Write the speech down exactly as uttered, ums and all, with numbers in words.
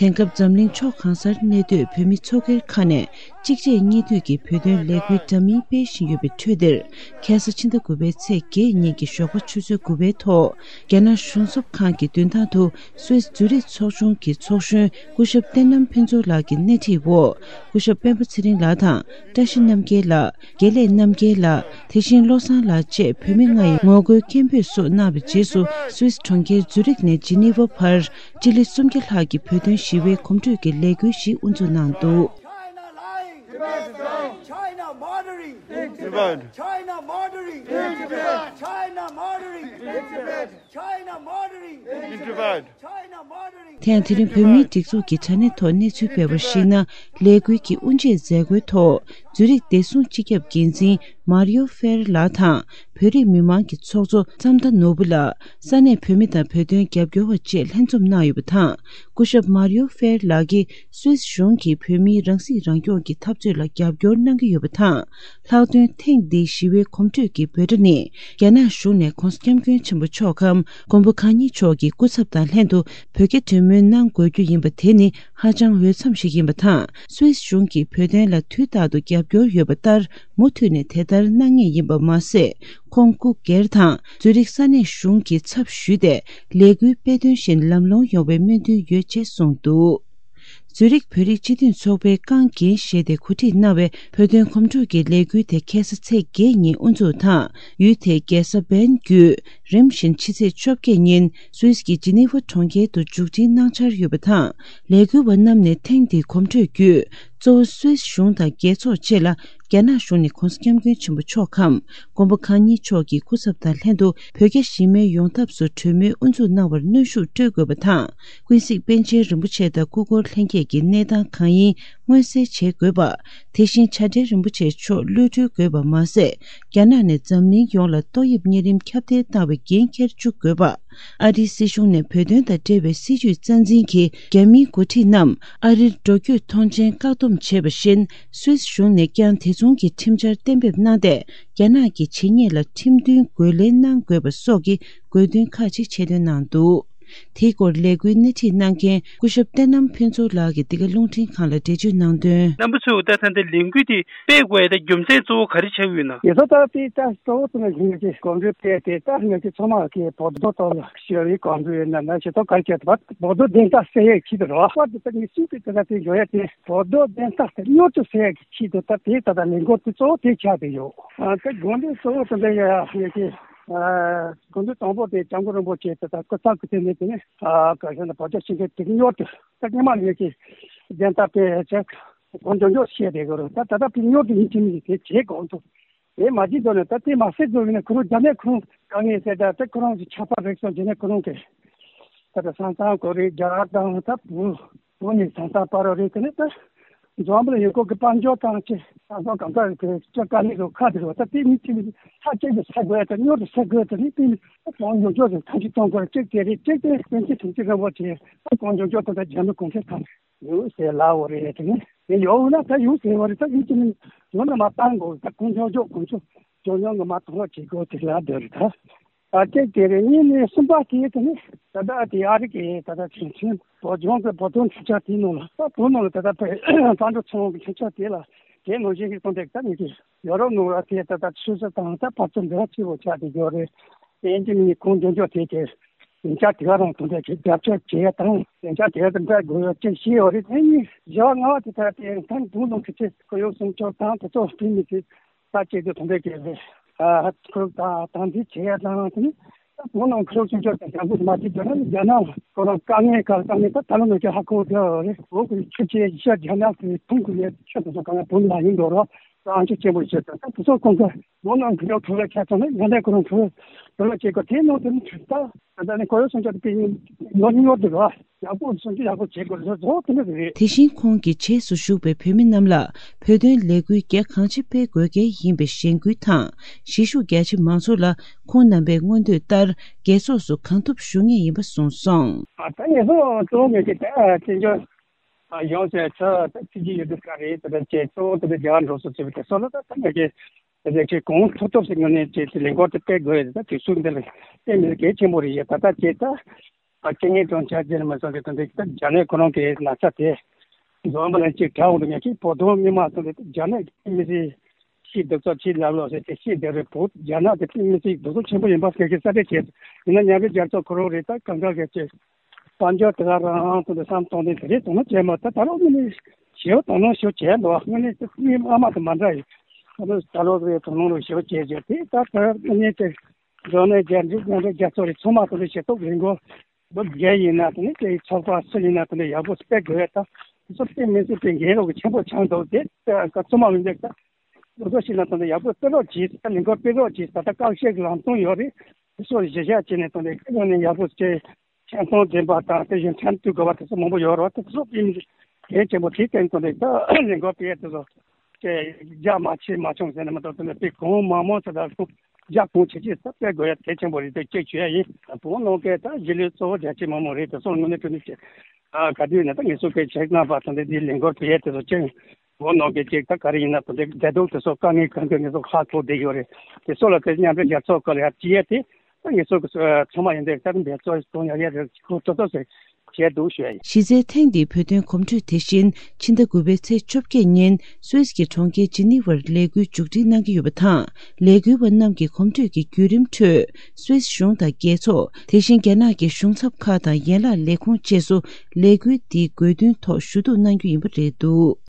དེང་སྐབས་འཛམ་གླིང་ཕྱོགས་གང་སར་གནས་སྡོད་བོད་མི་ཚོགས་སྒེར་ཁག་ནས་གཅིག་རྗེས་གཉིས་མཐུད་ཀྱིས་བོད་དོན་ལས་འགུལ་འདྲ་མིན་སྤེལ་བཞིན་ཡོད་པའི་ཁྲོད་འདིར། ཁ་སང་ཕྱི་ཟླ་དགུ་པའི་ཚེས་བརྒྱད་ཉིན་གྱི་ཞོགས་པ་ཆུ་ཚོད་དགུ་པའི་ཐོག་རྒྱ་ནག་གཞུང་ཚབ་ཁང་གི་མདུན་ཐང་དུ། སུད་སི་ཛུ་རིག་ཚོགས་ཆུང་གི་ཚོགས་གཞོན་སྐུ་ཞབས་བསྟན་ནམ་ཕུན་ཚོགས་ལགས་ཀྱི་སྣེ་ཁྲིད་འོག་སྐུ་ཞབས་སྤེན་པ་ཚེ་རིང་ལགས་དང་། བཀྲ་ཤིས་རྣམ་རྒྱལ་ལགས། དགེ་ལེགས་རྣམ་རྒྱལ་ལགས། དེ་བཞིན་བློ་བཟང་ལགས་བཅས་བོད་མི་ལྔ་ཡིས་ངོ་རྒོལ་སྐད་འབོད་སོགས་གནང་བའི་རྗེས་སུ། སུད་སི་གྲོང་ཁྱེར་ཛུ་རིག་ནས་ཇི་ནི་ཝ་བར་སྤྱི་ལེ་སུམ་བརྒྱ་ལྷག་གིས་བོད་དོན་ཞི་བའི་གོམ་བགྲོད་ཀྱི་ལས་འགུལ་ཞིག་དབུ་འཛུགས་གནང་འདུག། China lying. Tibet is dying. China murdering. Tibet. China murdering. Tibet. China murdering. Tibet. China murdering. Tibet. China murdering. དེ་ཡང་དེ་རིང་བོད་མིའི་སྒྲིག་འཛུགས་ཀྱི་དྲ་གནས་ཐོག་གནས་ཚུལ་སྤེལ་བར་གཞིགས་ན། ལས་འགུལ་གྱི་དབུ་འབྱེད་མཛད་སྒོའི་ཐོག་ཛུ་རིག་བདེ་སྲུང་སྤྱི་ཁྱབ་འགན་འཛིན་མཱ་རི་ཡོ་ཧྥེར་ལགས་དང་། བོད་རིགས་མི་མང་གི་ཚོགས་གཙོ་ཙམ་ཐ་ནོར་བུ་ལགས། ས་གནས་བོད་མི་དང་བོད་དོན་རྒྱབ་སྐྱོར་བ་བཅས་ལྷན་འཛོམས་གནང་ཡོད་པ་དང་། སྐུ་ཞབས་མཱ་རི་ཡོ་ཧྥེར་ལགས་ཀྱིས་སུད་སི་གཞུང་གིས་བོད་མིའི་རང་སྲིད་རང་སྐྱོང་གི་འཐབ་རྩོད་ལ་རྒྱབ་སྐྱོར་གནང་གི་ཡོད་པ་དང་། ལྷག་དོན་ཐེངས་འདིའི་ཞི་བའི་གོམ་བགྲོད་ཀྱི་འབོད་སྒྲ་ནི། རྒྱ་ནག་གཞུང་ནས་༸གོང་ས་༸སྐྱབས་མགོན་ཆེན་པོ་མཆོག་གམ་མགོན་པོ་གང་ཉིད་མཆོག་གི་སྐུ་ཚབ་དང་ལྷན་དུ་བོད་རྒྱ་གྲོས་མོལ་གནང་དགོས་རྒྱུ་ཡིན་པ་དེ་ནི་ཧ་ཅང་འོས་འཚམ་ཞིག་ཡིན་པ་དང་། སུད་སི་གཞུང་གིས་བོད་དོན་ལ་དུས་རྟག་ཏུ་རྒྱབ་སྐྱོར་ཡོད་པ་ལྟར། མུ་མཐུད་ནས་དེ་ལྟར་གནང་ངེས་ཡིན་པ་མ་ཟད། ཁོང་སྐུ་སྒེར་དང་ཛུ་རིག་ས་གནས་གཞུང་གི་ཚབ་ཞུས་ཏེ། ལས་འགུལ་སྤེལ་དོན་བཞིན་ལམ་ལྷོང་ཡོང་བའི་སྨོན་འདུན་ཡོད་ཅེས་གསུངས་འདུག། ཛུ་རིག་བོད་རིགས་སྤྱི་མཐུན་ཚོགས་པའི་རྐང་འགན་བཞེས་ཏེ་གོ་སྒྲིག་གནང་བའི་བོད་དོན་གོམ་བགྲོད་ཀྱི་ལས་འགུལ་དེ་ཁ་སང་ཚེས་བརྒྱད་ཉིན་དབུ་འཛུགས་དང་། ཡུལ་དེའི་རྒྱལ་ས་བན་བརྒྱུད་རིམ་བཞིན་ཕྱི་ཚེས་བཅོ་བརྒྱད་ཉིན་སུད་སི་གི་ཇི་ནི་ཝ་གྲོང་ཁྱེར་དུ་མཇུག་སྒྲིལ་གནང་འཆར་ཡོད་པ་དང་། ལས་འགུལ་བ་རྣམས་ནས་ཐེངས་འདིའི་གོམ་བགྲོད་བརྒྱུད། གཙོ་བོ་སུད་སི་གཞུང་དང་རྒྱལ་ཚོགས་བཅས་ལ། རྒྱ་ནག་གཞུང་ནས་༸གོང་ས་༸སྐྱབས་མགོན་ཆེན་པོ་མཆོག་གམ་མགོན་པོ་གང་ཉིད་མཆོག་གི་སྐུ་ཚབ་དང་ལྷན་དུ་བོད་རྒྱ་ཞི་མོལ་ཡོང་ཐབས་སུ་གྲོས་མོལ་དབུ་འཛུགས་གནང་བར་གནོན་ཤུགས་སྤྲོད་དགོས་པ་དང་། ཀུན་གཟིགས་པཎ་ཆེན་རིན་པོ་ཆེ་དང་སྐུ་འཁོར་ལྷན་རྒྱས་ཀྱི་གནས་སྟངས་གང་ཡིན་མངོན་གསལ་བྱེད་དགོས་པ། དེ་བཞིན་བྱ་བྲལ་རིན་པོ་ཆེ་མཆོག་གློད་གྲོལ་དགོས་པ་མ་ཟད། རྒྱ་ནག་ནས་འཛམ་གླིང་ཡོངས་ལ་ཏོག་དབྱིབས་གཉན་རིམས་ཁྱབ་གདལ་བཏང་བའི་འགན་འཁྱེར་བཅུག་དགོས་པ། ཨ་རིའི་སྲིད་གཞུང་ནས་བོད་དོན་དང་འབྲེལ་བའི་སྲིད་བྱུས་རྩ་འཛིན་གྱི་རྒྱ་མིའི་འགོ་ཁྲིད་རྣམས་ཨ་རིར་འགྲོ་སྐྱོད་ཐོངས་མཆན་བཀག་སྡོམ་བྱས་པ་བཞིན། སུད་སི་གཞུང་ནས་ཀྱང་དེ་མཚུངས་ཀྱི་ཁྲིམས་འཆར་གཏན་འབེབས་གནང་སྟེ། རྒྱ་ནག་གི་བྱེད་ཉེས་ལ་ཁྲིམས་མཐུན་རྒོལ་ལན་གནང་དགོས་པ་སོགས་ཀྱི་དགོས་འདུན་ཁག་ཅིག་ཆེད་བཏོན་གནང་འདུག། དེའི་སྐོར་ལས་འགུལ་སྣེ་ཁྲིད་གནང་མཁན་སྐུ་ཞབས་བསྟན་ནམ་ཕུན་ཚོགས་ལགས་ཀྱིས་འདི་ག་རླུང་འཕྲིན་ཁང་ལ་འགྲེལ་བརྗོད་གནང་དོན། རྣམ་པ་ཚོས་ད་ལྟ་འདི་ལས་འགུལ་དེ་སྤེལ་དགོས་ཡ་ད་རྒྱུ་མཚན་གཙོ་བོ་ག་རེ་ཆགས་ཡོད་ན། ཡོད་ས་ད་དེ་ད་གཙོ་བོ་དེ་ང་ཚོས་གོམ་བགྲོད་སྤེལ་ཏེ་ད་ང་ཚོས་ཚང་མ་གི་བོད་དོན་ཐོག་ལ་ཞི་བའི་གོམ་བགྲོད་ཡིན་ན་ན་ཞེ་ཐོག་ག་རེ་བྱས་ཏེ་བོད་དོན་བདེན་མཐའ་གསལ་ཡས་ཆེད་དུ་རེད་བ། དཔེར་ན་ད་ངས་གསུངས་པའི་དེ་ད་དེ་འཇོག་ཡ་དེ་བོད་དོན་བདེན་མཐའ་དེ་མྱུར་དུ་གསལ་ཡས་ཀྱི་ཆེད་དུ་ད་དེ་ད་ད་ལས་འགུལ་དེ་གཙོ་བོ་དེ་ཆགས་བསྡད་ཡོད། ཨ་ད་དགོངས་དོན་གཙོ་བོ་དེ་འདྲ་ཡ་ཡ་གི་ཨ་དགོངས་དོན་དང་པོ་དེ་སྐྱབས་མགོན་རིན་པོ་ཆེ་དེ་ད་སྐུ་ཚབ་ཀྱི་དེ་ནས་དེ་ནས་ཨ་ག་ཤེད་ན་བོད་རྒྱ་ཞི་འགྲིག་དེ་མྱུར་དུ། ད་སྔོན་མ་ནས་ཀྱི་བདེན་མཐའ་དཔེ་ཆ་གང་མགྱོགས་མགྱོགས་བཤད་བསྡད་དགོས་རེད། ད་ད་ལྟ་ཕྱི་ཉོ་དུ་ཡིན་གཅིག་མིན་གཅིག་དེ་བྱེད་དགོས་འདུག། དེ་མ་བྱེད་འདུག་ན་ད་དེ་མ་ཟེར་འདུག་ཡིན་ན་ཁོ་རང་རྒྱ་ནག་ཁོ་རང་དཀའ་ངལ་སེལ་ད་ད་ཁོ་རང་གི་ཆགས་པ་རེད་སོང་རྒྱ་ནག་ཁོ་རང་གི་ད་ད་ས་མཚམས་ཁོ་རེ་རྒྱ་གར་དང་ད་བོད་བོད་ནས་ས་མཚམས་བར་རེད། དེ་ནས་ད་འཛམ་བུ་གླིང་ཡུལ་སྐོར་གྱི་དཔལ་འབྱོར་དང་ཅི་ས་མཚམས་གང་ག་རེད་དེ་ཅི་དཀའ་ངལ་རེད་ཁ་དེ་རེད། ད་དེ་མི་གཅིག་མིན་གཅིག་ས་གཅིག་ཏུ་ས་དགོས་ད་ཉོ་དུ་ས་དགོས་ད་ནི་དེ་ནི་ད་གང་མགྱོགས་མགྱོགས་སུ་ཐག་གཅོད་གཏོང་དགོས། གཅིག་དེ་རེད། གཅིག་དེ་པཎ་ཆེན་དྲིན་ཅན་རིན་པོ་ཆེ་ད་གང་མགྱོགས་མགྱོགས་ཐོག་ད་རྒྱ་མི་གུང་ཁྲན་ཏང་ཡོད་ཟེར་ལབ་པ་རེད། དེ་ནས་དེ་ཡོད་ན་ད་ཡོད་ཟེར་བ་རེད། ད་ཡིན་གཅིག་མིན་ཡོད་ན་མ་བཏང་དགོས། ད་གང་མགྱོགས་མགྱོགས་གང་ཚོ་མགྱོགས་མྱོང་གི་མ་གཏོང་བ་བྱེད་དགོས་དེ་ལ་འདོད་རེད། ད་ཨ་ཅེ་དེ་རེད། གཉིས་ནས་གསུམ་པ་དེ་དེ་ནས་ད་ལྟ་དེ་ཨ་རི་གི་ད་ལྟ་ཁྲིམས་ཆེན་བོད་ལྗོངས་ཀྱི་བོད་དོན་ཁྲིམས་འཆར་དེའི་ནང་ལ་ད་བོད་ནང་ལ་ད་ལྟ་བོད་བཙན་བྱོལ་ཚོགས་པའི་ཁྲིམས་འཆར་དེ་ལ་དེ་ནང་བཞིན་གྱི་གཏོང་འདེགས་ད་ནས་ཀྱི་ཡོ་རོབ་ནང་ལ་དེ་ད་ལྟ་ཆུ་ཚོད་དང་ད་བར་དུ་འབྲེལ་བ་ཆེ་བོ་ཆགས་བསྡད་ཡོད་རེད། དེ་ཡིན་གཅིག་མིན་གཅིག་གང་མགྱོགས་མགྱོགས་དེ་གི་ལས་འཆར་དེ་ག་རང་དང་འབྲེལ་གྱི་རྒྱབ་སྐྱོར་བྱེད་ཡ་དང་ལས་འཆར་དེ་ག་དང་འབྲེལ་དགོས་ཡོད་ཅེས་བཤད་ཡོད་རེད། དེ་ཡིན་བཞི་པ་ལྔ་པ་དེ་ལྟར་དེ་ཐེངས་དང་པོ་ནང་གི་ཚེ་ཁོར་ཡུག་སྲུང་སྐྱོབ་དང་དེ་ཚོ་སྤེལ་མི་དེ་ད་ཅིག་ཏུ་དང་འབྲེལ་གྱི་རེད། ཨ་ཁོར་ཡུག་དང་དམ་འཛིན་བྱེད་ཡ་དང་དེ་ནི་ད་བོད་ནང་ཁོར་ཡུག་སྲུང་སྐྱོབ་དང་རྒྱབ་སྐྱོར་མ་བྱེད་རྒྱུ་ན་རྒྱ་ནག་ཁོ་རང་དཀའ་ངལ་ག་དཀའ་ངལ་ད་ད་ལོ་ནང་ཁྱེད་ཧ་གོ་བསྡད་ཡོད་རེད། བོད་ཀྱི་ཆུ་ཆེ་ཤ་རྒྱ་ནག་གི་ཐོན་གྱི་ཡོད་ཆུ་དེ་ཚོ་གང་ཡང་བོད་ལ་ཡིན་འགྲོ་རོགས་ཨང་ཆུ་ཆེན་པོ་བྱེད་དང་ད་དེ་ཚོ་ཁོང་ཚོ་བོད་ནང་གི་ཡོད་ཁྲོ་བའི་ཁྱད་མཚར་ནི་ང་འདྲ་ཁོ་རང་ཁྲོ་བའི་ཁྲོ་བ་བྱེད་དགོས། དེ་ནང་དེ་ནི་ད་ད་ནི་ཁོར་ཡུག་སྲུང་སྐྱོབ་དེ་ཡིན་ནོར་ཉོར་འདུག་ར་ཡག་པོ་སྲུང་སྐྱོབ་ཡག་པོ་བྱེད་དགོས་ལ་བཟོ་དེ་འདྲ་རེད། དེ་བཞིན་ཁོང་གིས་བྱེས་སུ་བཞུགས་པའི་བོད་མི་རྣམས་ལ་བོད་དོན་ལས་འགུལ་རྒྱ་གང་ཆེ་སྤེལ་དགོས་གལ་ཡིན་པའི་གཞེན་སྐུལ་དང་། གཞིས་བཞུགས་རྒྱ་ཆེ་མང་ཚོགས་ལ་ཁོང་རྣམ་པའི་མངོན་འདོད་ལྟར་རྒྱལ་ཚོགས་སུ་གང་ཐུབ་ཞུགས་ངེས་ཡིན་པ་གསུངས་སོང་། ད་ངེད་ཚོ་གཙོ་བོ་མེད་ཀི་ད་བཙན་བྱོལ་ཡོངས་སུ་ཚོ་ད་ཚིག་གི་ཡོད་དུས་ག་རེད་དེ་འདྲ་བྱས་གཙོ་བོ་དེ་འདྲ་རྒྱ་གར་འགྲོ་སོང་ཟེར་བའི་དེ་ཚོ་ལ་ད་ད་ངེད་ཀྱི་དེ་འདྲ་ཅིག་གང་ཐུབ་ཐུབ་ཟེར་ངོས་ནས་ཅིག་ལས་འགུལ་དེ་སྤེལ་དགོས་ཡོད། ད་དུས་ཚོད་འདི་ལ་སྤེལ་མི་གལ་ཆེན་པོ་རེད། ཡ་ད་ད་ཅིག་ད། ཨ་རྐྱེན་ངན་གྲོང་ཁྱེར་ཅན་མ་སོང་གི་དོན་དེ་ད་རྒྱ་ནག་ཁོ་རང་གི་ན་ཚ་དེ་འཛོམས་པ་ལ་ཅིག་དྲག་འོང་དུ་ཉག་གི་བོད་དོན་མི་མང་སོང་དེ་རྒྱ་ནག་གི་མི་སེར་ཤི་སྡུག་ཚོགས་ཕྱི་ལ་ལོག་ཟེར་ཏེ་ཤི་བསྡད་རེད། བོད་རྒྱ་ནག་དེ་མི་སེར་སྡུག་ཚོགས་ཆེན་པོ་ཡིན་པ་སྐད་ཆ་གསལ་བཤད་བྱས། ཡིན་ན་མཉམ་འབྲེལ་རྒྱལ་ཚོགས་ཁོ་རང་རེད། ད་གང་ག་གལ་ཆེ་དཔལ་འབྱོར་དེ་ག་རང་དུ་འདི་བསམ་གཏོང་དེ་དེ་རེད་དོ་སྣང་བྱས་མ། ད་ད་རུང་མི་ནི་ཞེའུ་དོ་སྣང་ཞེའུ་བྱས་འདུག་དངོས་གནས་དེ་མི་ཨ་མ་དེ་མ་འདྲ་ཡིན། ད་ད་ལོ་རེ་དོ་སྣང་རུ་ཞེའུ་བྱས་བྱས་དེ་ད་ད་དངོས་གནས་དེ་འགྲོ་ནས་རྒྱ་འབྲེལ་མཉམ་འབྲེལ་རྒྱལ་ཚོགས་རེད། ཚང་མ་དུ་འདི་ཞེ་ཐོག་རིང་གོ་བོད་རྒྱལ་ཡིན་ན་དེ་ནི་དེའི་ཚོགས་པ་སུ་ཡིན་ན་དེ་ནི་ཡག་པོ་སྤེལ་དགོས་ཡ། ད་སོ་སོ་སྤེལ་མི་སྲིད་པའི་འགན་རོགས་ཆེན་པོ་ཆགས་འདུག་དེ་ད་ཚང་མ་མི་འདུག་ད་སོ་སོ་ཞིག་ན་དེ་ནི་ཡག་པོ་སྤེལ་རོགས་གྱིས། ད་ལས་འགུལ་སྤེལ་རོགས་གྱིས། ད་ད་བཀག་ཆའི་ལམ་སྟོན་ཡོད་རེད། དེ་ཚོ་གཞི་བཞག་བྱས་ནས་དེ་ནི་ཁྱེད་རང་ནས་ཡག་པོ་སྤེལ། ཆེན་ཚང་འདྲེན་པ་དང་དེ་བཞིན་ཁྲིམས་མཐུན་དགོས་པ་དེ་ཚོ་མང་པོ་ཡོད་རེད་བ། དེ་ཚོ་སྤེལ་མི་འདུག་གལ་ཆེན་པོ་དེ་བརྟེན་དེ་ནི་ད་ལས་འགུལ་སྤེལ་ཡ་དེ་ཚོ་དེ་རྒྱ་མ་ཆེ་མ་ཆུང་ཟེར་ནས་མ་གཏོགས་དེ་ནི་དཔེ་གང་མང་མང་ཟེར་ད་རྒྱ་གང་ཆེ་ཆེ་ས་སྤེལ་དགོས་ཡ་གལ་ཆེན་པོ་རེད། དེ་གཅིག་ཞུ་ཡ་ཡིན། བོད་ནང་གི་ད་གཞིས་ལུས་གཙོ་བོ་རྒྱ་ཆེ་མང་མང་རེད། དེ་ཚོ་དངོས་གནས་དྲང་གནས་ཀྱི་ཨ་ག་དུས་ཡིན་ན་ད་ངེད་ཚོ་གི་ཆེད་མངགས་པ་དང་དེ་འདི་ལས་འགུལ་སྤེལ་ཡས་དེ་ཚོ་ཅན་བོད་ནང་གི་ཅིག་ད་ག་རེ་ཡིན་ན་དེ་འདི་བདེ་སྡུག་དེ་ཚོ་དཀའ་ངལ་གང་གི་ངེད་ཚོ་ཧ་གོ་བསྡད་ཡོད་རེད། དེ་ཚོ་ལ་དེ་མཉམ་འབྲེལ་རྒྱལ་ཚོགས་སྐོར་ལ་ཡར་བྲིས་ཡས་དེ་ད་ངེད་ཚོ་གི་ཚང་མ་ཡིན་དེ་ད་འབད་བརྩོན་གཏོང་ཡ་ཡ་རེད། ཁོ་ཏོག་ཏོག་ཟེར་བྱས་འདུག་ཞུ་ཡ་ཡིན། གཞི་རྩའི་ཐེངས་འདིའི་བོད་དོན་གོམ་བགྲོད་དེ་བཞིན་ཕྱི་ཟླ་དགུ་པའི་ཚེས་བཅོ་བརྒྱད་ཉིན་སུད་སི་གི་གྲོང་ཁྱེར་ཇི་ནི་ཝར་ལས་འགུལ་མཇུག་སྒྲིལ་གནང་གི་ཡོད་པ་དང་། ལས་འགུལ་བ་རྣམས་ཀྱི་གོམ་བགྲོད་ཀྱི་བརྒྱུད་རིམ་ཁྲོད་སུད་སི་གཞུང་དང་རྒྱལ་ཚོགས། དེ་བཞིན་རྒྱ་ནག་གི་གཞུང་ཚབ་ཁག་དང་ཡན་ལག་ལས་ཁུངས་བཅས་སུ་ལས་འགུལ་འདིའི་དགོས་འདུན་ཐོག་ཞུ་གཏུག་གནང་རྒྱུ་ཡིན་པ་རེད་འདུག